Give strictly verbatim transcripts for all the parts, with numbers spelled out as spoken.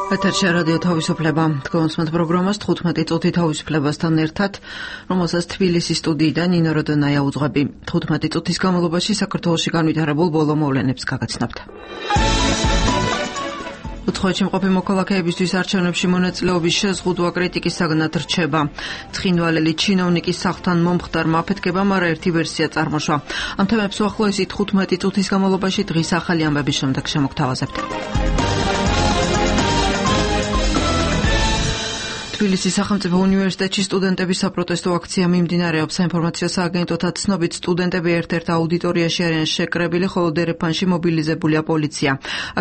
ეთერში რადიო თავისუფლება. თქვენს პროგრამას თხუთმეტი წუთი თავისუფლებასთან ერთად, რომელსაც თბილისის სტუდიიდან ნინო როდონაია უძღვები. თხუთმეტი წუთის განმავლობაში საქართველოში განვითარებულ ბოლო მოვლენებს გაგაცნობთ. უცხოეთში მყოფი მოქალაქეებისთვის არჩევნებში მონაწილეობის შეზღუდვა კრიტიკის საგნად რჩება. ცხინვალელი ჩინოვნიკის სახლთან მომხდარმა აფეთქებამ არაერთი ვერსია წარმოშვა. ამ თემებს უახლოესი თხუთმეტი წუთის განმავლობაში დღის ახალი ამბების შემდეგ შემოგთავაზებთ. თბილისის სახელმწიფო უნივერსიტეტში სტუდენტების საპროტესტო აქცია მიმდინარეობს. საინფორმაციო სააგენტოთა ცნობით სტუდენტები ერთ-ერთ აუდიტორიაში არიან შეკრებილი, ხოლო დერეფანში მობილიზებულია პოლიცია.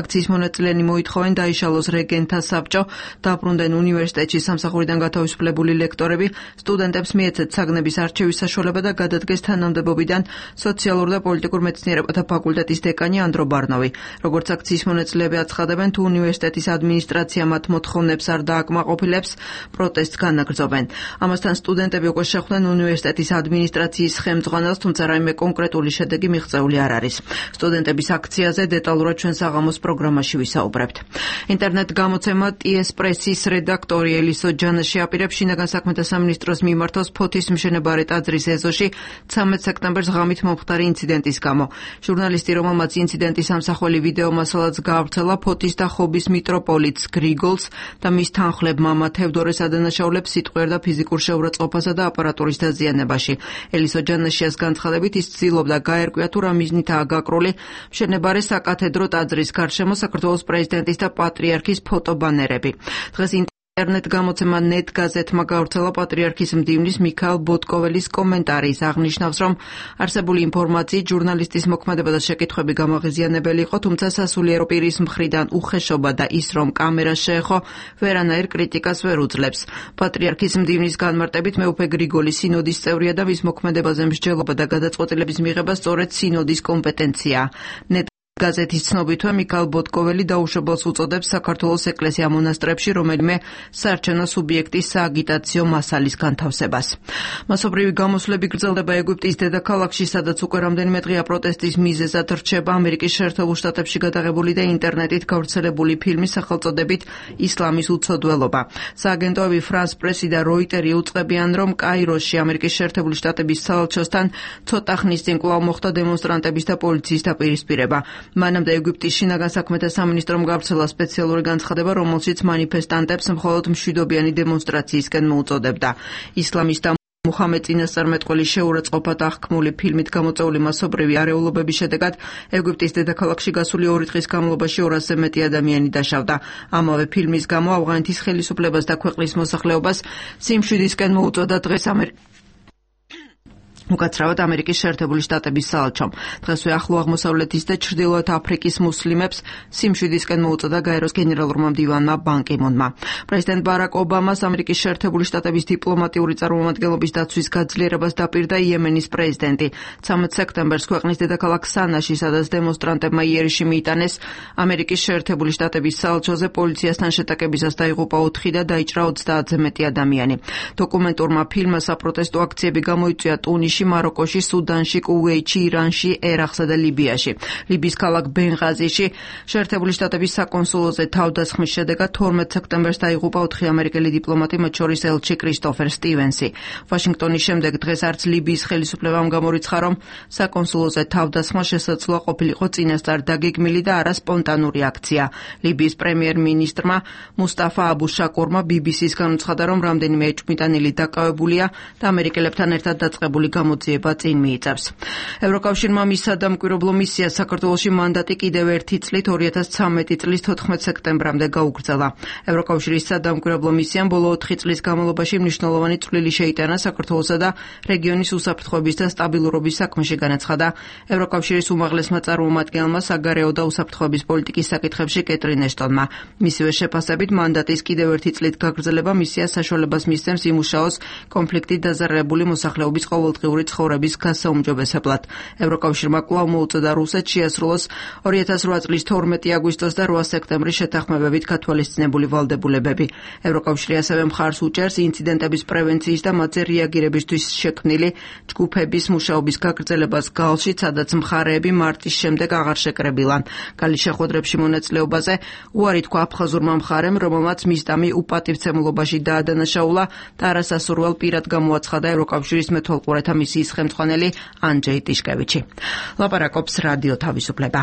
აქციის მონაწილენი მოითხოვენ დაიშალოს რეგენტთა საბჭო, დაბრუნდნენ უნივერსიტეტში სამსახურიდან გათავისუფლებული ლექტორები, სტუდენტებს მიეცეთ საგნების არჩევის საშუალება და გადადგეს თანამდებობიდან სოციალურ და პოლიტიკურ მეცნიერებათა ფაკულტეტის დეკანი ანდრო ბარნოვი. როგორც აქციის მონაწილეები აცხადებენ, თუ უნივერსიტეტის ადმინისტრაცია მათ მოთხოვნებს არ დააკმაყოფილებს, პროტესტს განაგრძობენ. ამასთან სტუდენტები უკვე შეხვდნენ უნივერსიტეტის ადმინისტრაციის ხელმძღვანელს, თუმცა რაიმე კონკრეტული შედეგი მიღწეული არ არის. სტუდენტების აქციაზე დეტალურად ჩვენ საღამოს პროგრამაში ვისაუბრებთ. ინტერნეტ გამოცემა ტიეს პრესის რედაქტორი ელისო ჯანაში აპირებს შინაგან საქმეთა სამინისტროს მიმართოს ფოთის მშენებარე ტაძრის ეზოში ცამეტ სექტემბერს ღამით მომხდარი ინციდენტის გამო. ჟურნალისტი, რომელმაც ინციდენტის ამსახველი ვიდეო მასალაც გაავრცელა, ფოთის და ხობის მიტროპოლიტს გრიგოლს და მის თანხლებ მამა თევდორეს ადანაშაულებს სიტყვიერ და ფიზიკურ შეურაცხყოფასა და აპარატურის დაზიანებაში. ელისო ჯანაშიას განცხადებით, ის ცდილობდა გაერკვია თუ რა მიზნითაა გაკრული მშენებარე საკათედრო ტაძრის გარშემო საქართველოს პრეზიდენტის და პატრიარქის ფოტობანერები. დღეს ინტერნეტ გამოცემა ნეტ გაზეთმა გავრცელა პატრიარქის მდივნის მიქაელ ბოტკოველის კომენტარი. ის აღნიშნავს, რომ არსებული ინფორმაციით ჟურნალისტის მოქმედება და შეკითხვები გამაღიზიანებელი იყო, თუმცა სასულიერო პირის მხრიდან უხეშობა და ის, რომ კამერა შეეხო, ვერანაირ კრიტიკას ვერ უძლებს. პატრიარქის მდივნის განმარტებით, მეუფე გრიგოლი სინოდის წევრია და მის მოქმედებაზე მსჯელობა და გადაწყვეტილების მიღება სწორედ სინოდის კომპეტენციაა. გაზეთის ცნობითვე მიქაელ ბოტკოველი დაუშვებელს უწოდებს საქართველოს ეკლესია მონასტრებში რომელიმე საარჩევნო სუბიექტის სააგიტაციო მასალის განთავსებას. მასობრივი გამოსვლები გრძელდება ეგვიპტის დედაქალაქში, სადაც უკვე რამდენიმე დღეა პროტესტის მიზეზად რჩება ამერიკის შეერთებულ შტატებში გადაღებული და ინტერნეტით გავრცელებული ფილმის სახელწოდებით ისლამის უცოდველობა. სააგენტოები ფრანს პრესი და როიტერი უწყებიან, რომ კაიროში ამერიკის შეერთებული შტატების საელჩოსთან ცოტა ხნის წინ კვლავ მოხდა დემონსტრანტების და პოლიციის დაპირისპირება. მანამდე ეგვიპტის შინაგან საქმეთა სამინისტრომ გავრცელა სპეციალური განცხადება, რომელშიც მანიფესტანტებს მხოლოდ მშვიდობიანი დემონსტრაციისკენ მოუწოდებდა. ისლამისტა მუჰამედ წინასწარმეტყველის შეურაცხყოფად აღქმული ფილმით გამოწვეული მასობრივი არეულობების შედეგად ეგვიპტის დედაქალაქში გასული ორი დღის განმავლობაში ორასზე მეტი ადამიანი დაშავდა. ამავე ფილმის გამო ავღანეთის ხელისუფლებას და ქვეყნის მოსახლეობას სიმშვიდისკენ მოუწოდა დღეს ამერიკა. უკაცრავად ამერიკის შეერთებული შტატების საელჩომ. დღესვე ახლო აღმოსავლეთის და ჩრდილოეთ აფრიკის მუსლიმებს სიმშვიდისკენ მოუწოდა გაეროს გენერალურმა მდივანმა ბან კი მუნმა. პრეზიდენტ ბარაკ ობამას ამერიკის შეერთებული შტატების დიპლომატიური წარმომადგენლობის დაცვის გაძლიერებას დაპირდა იემენის პრეზიდენტი. ცამეტ სექტემბერს ქვეყნის დედაქალაქ სანაში, სადაც დემონსტრანტებმა იერიში მიიტანეს ამერიკის შეერთებული შტატების საელჩოზე, პოლიციასთან შეტაკებისას დაიღუპა ოთხი და დაიჭრა ოცდაათზე მეტი ადამიანი. დოკუმენტურმა ფილმმა საპროტესტო აქციები გამოიწვია ტუნისში, მაროკოში, სუდანში, კუვეითში, ირანში, ერაყსა და ლიბიაში. ლიბიის ქალაქ ბენღაზიში შეერთებული შტატების საკონსულოზე თავდასხმის შედეგად თორმეტ სექტემბერს დაიღუპა ოთხი ამერიკელი დიპლომატი, მათ შორის ელჩი კრისტოფერ სტივენსი. ვაშინგტონის შემდეგ დღეს არც ლიბიის ხელისუფლებამ გამორიცხა, რომ საკონსულოზე თავდასხმა შესაძლოა ყოფილიყო წინასწარ დაგეგმილი და არა სპონტანური აქცია. ლიბიის პრემიერ-მინისტრმა მუსტაფა აბუ შაკურმა ბი ბი სის განუცხადა, რომ რამდენიმე ეჭვმიტანილი დაკავებულია და ამერიკელებთან ერთად დაწყებული გამოძიება წინ მიიწევს. ევროკავშირმა მის სადამკვირვებლო მისიას საქართველოში მანდატი კიდევ ერთი წლით ორი ათას ცამეტი წლის თოთხმეტ სექტემბრამდე გაუგრძელა. ევროკავშირის სადამკვირვებლო მისიამ ბოლო ოთხი წლის განმავლობაში მნიშვნელოვანი წვლილი შეიტანა საქართველოსა და რეგიონის უსაფრთხოების და სტაბილურობის საქმეში, განაცხადა ევროკავშირის უმაღლესმა წარმომადგენელმა საგარეო და უსაფრთხოების პოლიტიკის საკითხებში კეტრინ ეშტონმა. მისივე შეფასებით მანდატის კიდევ ერთი წლით გაგრძელება მისიას საშუალებას მისცემს იმუშაოს კონფლიქტით დაზარალებული მოსახლეობის ყოველდღიური ნორმალური ცხოვრების გასაუმჯობესებლად. ევროკავშირმა კვლავ მოუწოდა რუსეთს შეასრულოს ორი ათას რვა წლის თორმეტი აგვისტოს და რვა სექტემბრის შეთანხმებებით გათვალისწინებული ვალდებულებები. ევროკავშირი ასევე მხარს უჭერს ინციდენტების პრევენციის და მათზე რეაგირებისთვის შექმნილი ჯგუფების მუშაობის გაგრძელებას გალში, სადაც მხარეები მარტის შემდეგ აღარ შეკრებილან. გალის შეხვედრებში მონაწილეობაზე უარი თქვა აფხაზურმა მხარემ, რომელმაც მისდამი უპატივცემლობაში დაადანაშაულა და არასასურველ პირად გამოაცხადა ევროკავშირის მეთვალყურეთა მისიის ხელმძღვანელი ანჯეი ტიშკევიჩი. ლაპარაკობს რადიო თავისუფლება.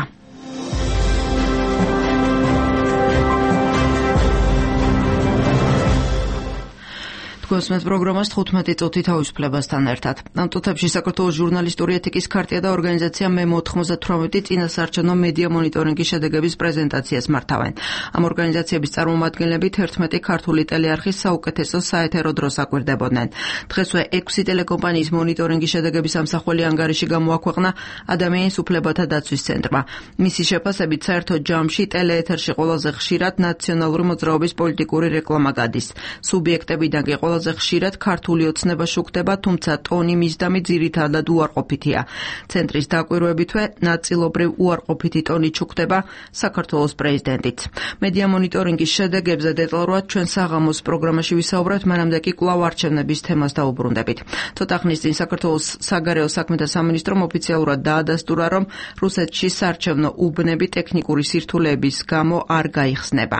გოსმეთ პროგრამას თხუთმეტი წუთი თავისუფლებასთან ერთად. ამ წუთებში საქართველოს ჟურნალისტური ეთიკის ქარტია და ორგანიზაცია მე მოთხმოცდათვრამეტი წინასაარჩევნო მედია მონიტორინგის შედეგების პრეზენტაციას მართავენ. ამ ორგანიზაციების წარმომადგენლები თერთმეტი ქართული ტელეარხის საუკეთესო საეთერო დროს აკვირდებოდნენ. დღესვე ექვსი ტელეკომპანიის მონიტორინგის შედეგების ამსახველი ანგარიში გამოაქვეყნა ადამიანის უფლებათა დაცვის ცენტრმა. მისი შეფასებით საერთო ჯამში ტელეეთერში ყველაზე ხშირად ნაციონალური მოძრაობის პოლიტიკური რეკლამა გადის. სუბიექტებიდან კი ყველაზე ხშირად ქართული ოცნება შუქდება, თუმცა ტონი მისდამი ძირითადად უარყოფითია. ცენტრის დაკვირვებითვე ნაწილობრივ უარყოფითი ტონი შუქდება საქართველოს პრეზიდენტიც. მედია მონიტორინგის შედეგებზე დეტალურად ჩვენ საღამოს პროგრამაში ვისაუბრებთ, მანამდე კი კვლავ არჩევნების თემას დაუბრუნდებით. ცოტა ხნის წინ საქართველოს საგარეო საქმეთა სამინისტრომ ოფიციალურად დაადასტურა, რომ რუსეთში საარჩევნო უბნები ტექნიკური სირთულეების გამო არ გაიხსნება.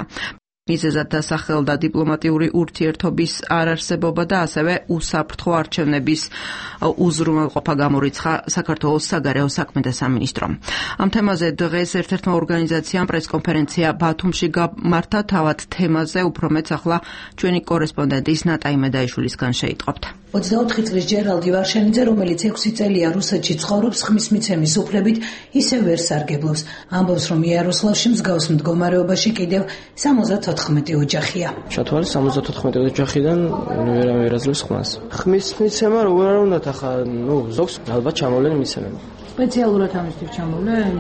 მიზეზად დასახელდა დიპლომატიური ურთიერთობის არარსებობა და ასევე უსაფრთხო არჩევნების უზრუნველყოფა გამორიცხა საქართველოს საგარეო საქმეთა სამინისტრომ. ამ თემაზე დღეს ერთ-ერთმა ორგანიზაციამ პრესკონფერენცია ბათუმში გამართა. თავად თემაზე უფრო მეც ახლა ჩვენი კორესპონდენტის ნატა იმედაიშვილისგან შეიტყობთ. ოცდაოთხი წლის ჯერალდი ვარშენიძე, რომელიც ექვსი წელია რუსეთში ცხოვრობს, ხმის მიცემის უფლებით ისევ ვერ სარგებლობს. ამბობს, რომ იაროსლავში მსგავს მდგომარეობაში კიდევ სამოცდათოთხმეტი ოჯახია. ჩათვალე სამოცდათოთხმეტი ოჯახიდან ვერავინ ვერ აძლევს ხმას. ხმის მიცემა როგორ არ უნდათ ახლა, ნუ ზოგს ალბათ ჩამოვლენ მიცემენ. სპეციალურად ამისთვის ჩამოვლენ?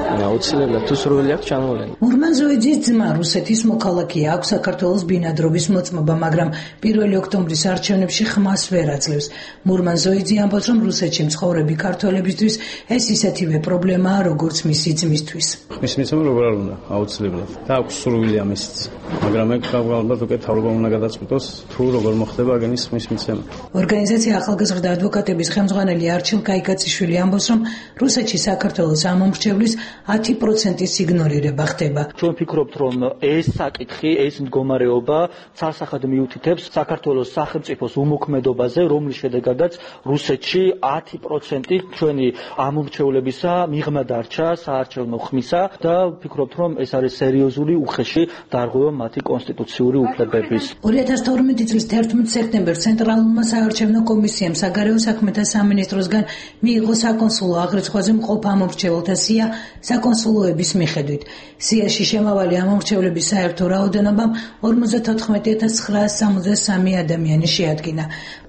აუცილებლად თუ სურვილი აქვს ჩამოვლენ. მურმან ზოიძის ძმა რუსეთის მოქალაქეა, აქვს საქართველოს ბინადრობის მოწმობა, მაგრამ პირველი ოქტომბრის არჩევნებში ხმას ვერ აძლევს. მურმან ზოიძე ამბობს, რომ რუსეთში მცხოვრები ქართველებისთვის ეს ისეთივე პრობლემაა, როგორც მისი ძმისთვის. ხმის მიცემა როგორ არ უნდა, აუცილებლად. და აქვს სურვილი ამისიც. მაგრამ ეგ ალბათ უკვე თავრობა უნდა გადაწყვიტოს, თუ როგორ მოხდება აგენის ხმის მიცემა. ორგანიზაცია ახალგაზრდა ადვოკატების ხელმძღვანელი არჩილ კაიკაციშვილი ამბობს, რომ რუსეთში საქართველოს ამომრჩევლის ათი პროცენტის იგნორირება ხდება. ჩვენ ვფიქრობთ, რომ ეს საკითხი, ეს მდგომარეობა ცალსახად მიუთითებს საქართველოს სახელმწიფოს უმოქმედობაზე, რომლის შედეგადაც რუსეთში ათი პროცენტი ჩვენი ამომრჩევლებისა მიღმა დარჩა საარჩევნო ხმისა და ვფიქრობთ, რომ ეს არის სერიოზული უხეში დარღვევა მათი კონსტიტუციური უფლებების. ორი ათას თორმეტი წლის თერთმეტ სექტემბერს ცენტრალურმა საარჩევნო კომისიამ საგარეო საქმეთა სამინისტროსგან მიიღო საკონსულო აღრიცხვაზე მყოფ ამომრჩეველთა სია საკონსულოების მიხედვით. სიაში შემავალი ამომრჩევლების საერთო რაოდენობამ ორმოცდათოთხმეტი ათას ცხრაას სამოცდასამი ადამიანი შეადგინა,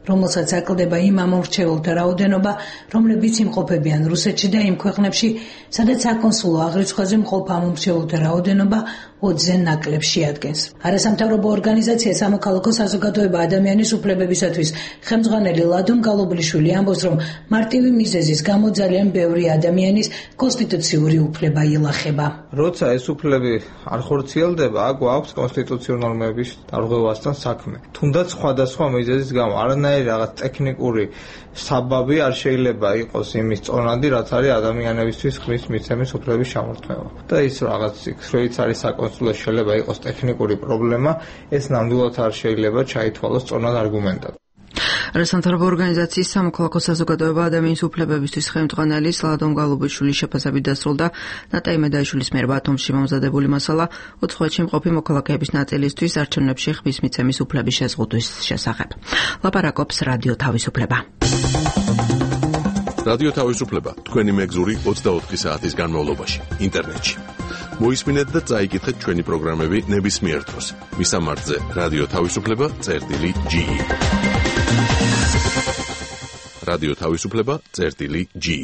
რომელსაც აკლდება იმ ამომრჩეველთა რაოდენობა, რომლებიც იმყოფებიან რუსეთში და იმ ქვეყნებში, სადაც საკონსულო აღრიცხვაზე მყოფ ამომრჩეველთა რაოდენობა ოცზე ნაკლებს შეადგენს. არასამთავრობო ორგანიზაცია სამოქალაქო საზოგადოება ადამიანის უფლებებისათვის ხელმძღვანელი ლადონ გალობლიშვილი ამბობს, რომ მარტივი მიზეზის გამო ძალიან ბევრი ადამიანის კონსტიტუციური უფლება ილახება. როცა ეს უფლები არ ხორციელდება, აქ გვაქვს კონსტიტუციური ნორმების დარღვევასთან საქმე. თუნდაც სხვადასხვა მიზეზის გამო არანაირი რაღაც ტექნიკური საბაბი არ შეიძლება იყოს იმის წონადი, რაც არის ადამიანებისთვის ხმის მიცემის უფლების ჩამორთმევა. და ის რაღაც იქ არის საკონსულო შეიძლება იყოს ტექნიკური პრობლემა, ეს ნამდვილად არ შეიძლება ჩაითვალოს წონად არგუმენტად. არასამთავრობო ორგანიზაციის სამოქალაქო საზოგადოება ადამიანის უფლებებისთვის ხელმძღვანელი ლადონ გალობიშვილის შეფასებით დასრულდა ნატა იმედაიშვილის მიერ ბათუმში მომზადებული მასალა უცხოეთში მყოფი მოქალაქეების ნაწილისთვის არჩევნებში ხმის მიცემის უფლების შეზღუდვის შესახებ. ლაპარაკობს რადიო თავისუფლება. რადიო თავისუფლება თქვენი მეგზური ოცდაოთხი საათის განმავლობაში ინტერნეტში. მოისმინეთ და წაიკითხეთ ჩვენი პროგრამები ნებისმიერ დროს. მისამართზე რადიო თავისუფლება წერტილი ჯი. რადიო თავისუფლება წერტილი ჯი.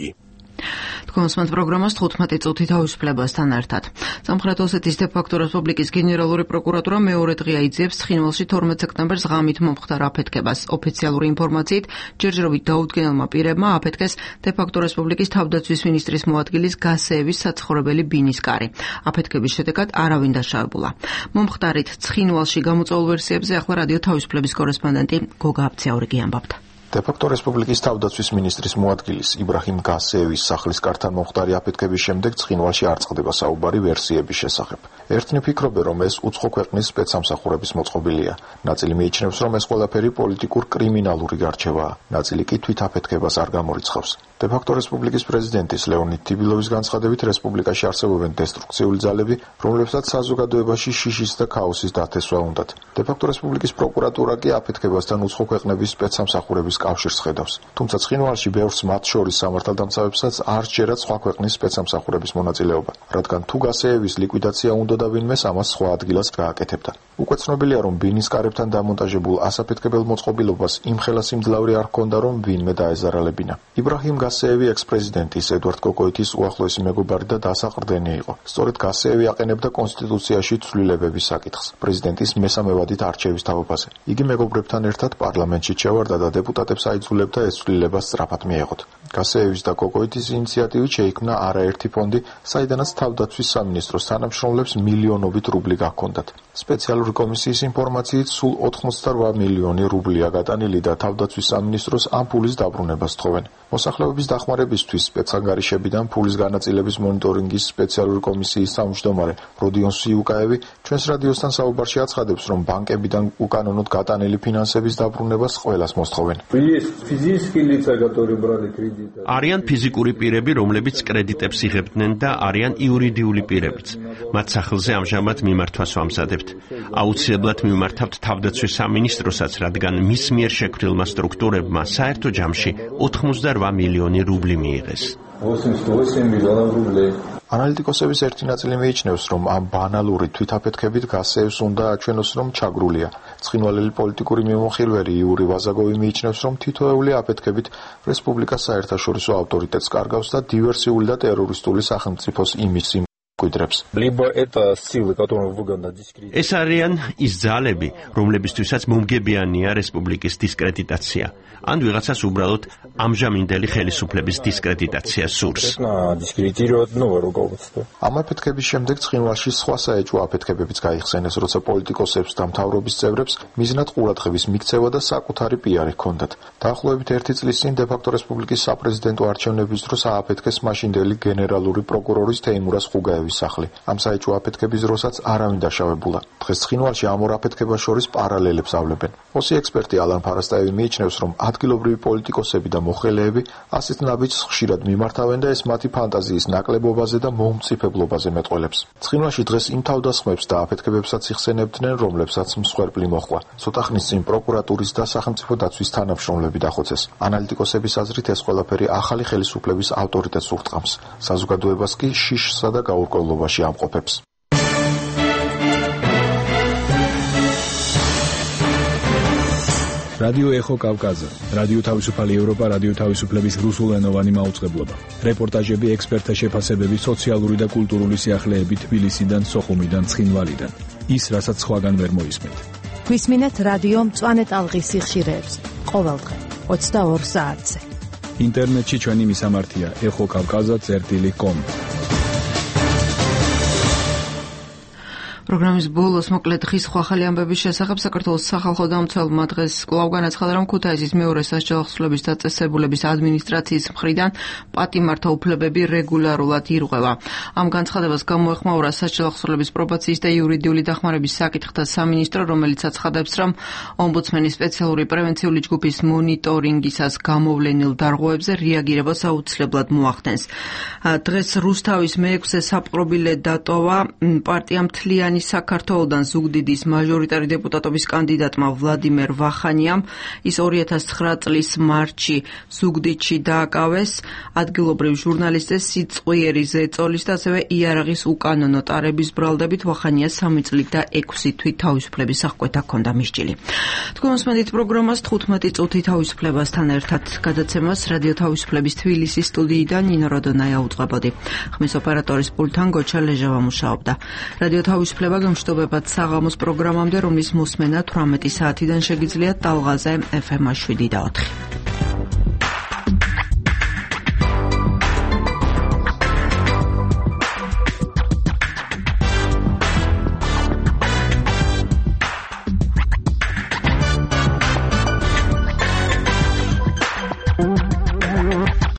გონსმენთ პროგრამას თხუთმეტი წუთი თავისუფლებასთან ერთად. სამხრეთ ოსეთის დე-ფაქტო რესპუბლიკის გენერალური პროკურატურა მეორე დღე აიძიებს ცხინვალში თორმეტ სექტემბერს ღამით მომხდარ აფეთქებას. ოფიციალური ინფორმაციით, ჯერჯერობით დაუდგენელმა პირებმა აფეთქეს დე-ფაქტო რესპუბლიკის თავდაცვის მინისტრის მოადგილის გასეევის საცხოვრებელი ბინის კარი. აფეთქების შედეგად არავინ დაშავებულა. მომხდარით ცხინვალში გამოწვეულ ვერსიებზე ახლა რადიო თავისუფლების კორესპონდენტი გოგა აბცაურიგი ამბობდა. დე-ფაქტო რესპუბლიკის თავდაცვის მინისტრის მოადგილის იბრაჰიმ გასეევის სახლის კართან მომხდარი აფეთქების შემდეგ ცხინვალში არ წყდება საუბარი ვერსიების შესახებ. ერთნი ფიქრობენ, რომ ეს უცხო ქვეყნის სპეცსამსახურების მოწყობილია. ნაწილი მიიჩნევს, რომ ეს ყველაფერი პოლიტიკურ კრიმინალური გარჩევაა. ნაწილი კი თვით აფეთქებას არ გამორიცხავს. დე-ფაქტო რესპუბლიკის პრეზიდენტის ლეონიდ თიბილოვის განცხადებით, რესპუბლიკაში არსებობენ დესტრუქციული ძალები, რომლებსაც საზოგადოებაში შიშის და ქაოსის დათესვა უნდათ. დე-ფაქტო რესპუბლიკის პროკურატურა კი აფეთქებასთან უცხო ქვეყნების სპეცსამსახურების კავშირს ხედავს. თუმცა ცხინვალში ბევრს მათ შორის სამართალდამცავებსაც არ სჯერათ სხვა ქვეყნის სპეცსამსახურების მონაწილეობა, რადგან თუ გასეევის ლიკვიდაცია უნდოდა ვინმეს, ამას სხვა ადგილას გააკეთებდა. უკვე ცნობილია, რომ ბინის კარებთან დამონტაჟებულ ასაფეთქებელ მოწყობილობას იმ ხელა სიმძლავრე არ ჰქონდა, რომ ვინმე დაეზარალებინა. იბრაჰიმ გასეევი ექს-პრეზიდენტის ედვარდ კოკოიტის უახლოესი მეგობარი და დასაყრდენი იყო. სწორედ გასეევი აყენებდა კონსტიტუციაში ცვლილებების საკითხს პრეზიდენტის მესამე ვადით არჩევის თავობაზე. იგი მეგობრებთან ერთად პარლამენტში ჩავარდა და დეპუტატებს აიძულებდა ეს ცვლილება სწრაფად მიეღოთ. გასეევის და კოკოიტის ინიციატივით შეიქმნა არაერთი ფონდი, საიდანაც თავდაცვის სამინისტროს თანამშრომლებს მილიონობით რუბლი გაქონდათ. სპეციალური კომისიის ინფორმაციით სულ ოთხმოცდარვა მილიონი რუბლია გატანილი და თავდაცვის სამინისტროს ამ ფულის დაბრუნებას თხოვენ. მოსახლეობის დახმარებისთვის სპეცანგარიშებიდან ფულის განაწილების მონიტორინგის სპეციალური კომისიის თავმჯდომარე როდიონ სიუკაევი ჩვენს რადიოსთან საუბარში აცხადებს, რომ ბანკებიდან უკანონოდ გატანილი ფინანსების დაბრუნებას ყველას მოსთხოვენ. არიან ფიზიკური პირები, რომლებიც კრედიტებს იღებდნენ და არიან იურიდიული პირებიც. მათ სახელზე ამჟამად მიმართვას ვამზადებთ. აუცილებლად მიმართავთ თავდაცვის სამინისტროსაც, რადგან მის მიერ შექმნილმა სტრუქტურებმა საერთო ჯამში ოთხმოცდარვა მილიონი რუბლი მიიღეს. ანალიტიკოსების ერთი ნაწილი მიიჩნევს, რომ ამ ბანალური თვითაფეთქებით გასეევს უნდა აჩვენოს, რომ ჩაგრულია. ცხინვალელი პოლიტიკური მიმოხილველი იური ვაზაგოვი მიიჩნევს, რომ თითოეული აფეთქებით რესპუბლიკას საერთაშორისო ავტორიტეტს კარგავს და დივერსიული და ტერორისტული სახელმწიფოს იმიჯს კვიდრებს. ეს არიან ის ძალები, რომლებისთვისაც მომგებიანია რესპუბლიკის დისკრედიტაცია. ან ვიღაცას უბრალოდ ამჟამინდელი ხელისუფლების დისკრედიტაცია სურს. ამ აფეთქების შემდეგ ცხინვალში სხვა საეჭვო აფეთქებებიც გაიხსენეს, როცა პოლიტიკოსებს და მთავრობის წევრებს მიზნად ყურადღების მიქცევა და საკუთარი პიარი ჰქონდათ. დაახლოებით ერთი წლის წინ დე-ფაქტო რესპუბლიკის საპრეზიდენტო არჩევნების დროს ააფეთქეს მაშინდელი გენერალური პროკურორის თეიმურაზ ხუგაევის სახლი. ამ საეჭვო აფეთქების დროსაც არავინ დაშავებულა. დღეს ცხინვალში ამ ორ აფეთქებას შორის პარალელებს ავლებენ. ოსი ექსპერტი ალან ფარასტაევი მიიჩნევს, რომ ადგილობრივი პოლიტიკოსები და მოხელეები ასეთ ნაბიჯს ხშირად მიმართავენ და ეს მათი ფანტაზიის ნაკლებობაზე და მომწიფებლობაზე მეტყველებს. ცხინვალში დღეს იმ თავდასხმებს და აფეთქებებსაც იხსენებდნენ, რომლებსაც მსხვერპლი მოჰყვა. ცოტა ხნის წინ პროკურატურის და სახელმწიფო დაცვის თანამშრომლები დახოცეს. ანალიტიკოსების აზრით ეს ყველაფერი ახალი ხელისუფლების ავტორიტეტს ურტყამს. საზოგადოებას კი შიშსა და გაურკვევლობაში ამყოფებს. რადიო ეხო კავკაზა, რადიო თავისუფალი ევროპა, რადიო თავისუფლების რუსულენოვანი მაუწყებლობა. რეპორტაჟები, ექსპერტთა შეფასებები, სოციალური და კულტურული სიახლეები თბილისიდან, სოხუმიდან, ცხინვალიდან. ის, რასაც სხვაგან ვერ მოისმენთ. გვისმინეთ რადიო მწვანე ტალღის სიხშირეებზე, ყოველდღე ოცდაორ საათზე. ინტერნეტში ჩვენი მისამართია ეხო კავკაზა წერტილი კომ. პროგრამის ბოლოს მოკლედ დღის სხვა ხალი ამბების შესახებ საქართველოს სახალხო დამცველმა დღეს კვლავ განაცხადა, რომ ქუთაისის მეორე სასჯელო ახსნილების დაწესებულების ადმინისტრაციის მხრიდან პატიმართა უფლებები რეგულარულად ირღვევა. ამ განცხადებას გამოეხმაურა სასჯელო ახსნილების პრობაციის და იურიდიული დახმარების საკითხთა სამინისტრო, რომელიც აცხადებს, რომ ომბუდსმენის სპეციალური პრევენციული ჯგუფის მონიტორინგისას გამოვლენილ დარღვევებზე რეაგირებას აუცილებლად მოახდენს. დღეს რუსთავის მეექვსე საპყრობილე დატოვა პარტია მთლიანი ვახანის საქართველოდან ზუგდიდის მაჟორიტარი დეპუტატობის კანდიდატმა ვლადიმერ ვახანიამ ის ორი ათას ცხრა წლის მარტში ზუგდიდში დააკავეს ადგილობრივ ჟურნალისტებს სიწყვიერი ზეწოლის და ასევე იარაღის უკანონო ტარების ბრალდებით. ვახანია სამი წლით და ექვსი თვით თავისუფლების აღკვეთა ჰქონდა მისჯილი. თქვენ მოსმენთ პროგრამას თხუთმეტი წუთი თავისუფლებასთან ერთად გადაცემას რადიო თავისუფლების თბილისის სტუდიიდან ნინო როდონაია უწყებოდი. ხმის ოპერატორის პულტთან გოჩა ლეჟავა მუშაობდა. რადიო თავისუფლება გამშვიდობებად საღამოს პროგრამამდე, რომლის მოსმენა თვრამეტი საათიდან შეგიძლიათ ტალღაზე ეფ ემ შვიდი და ოთხი.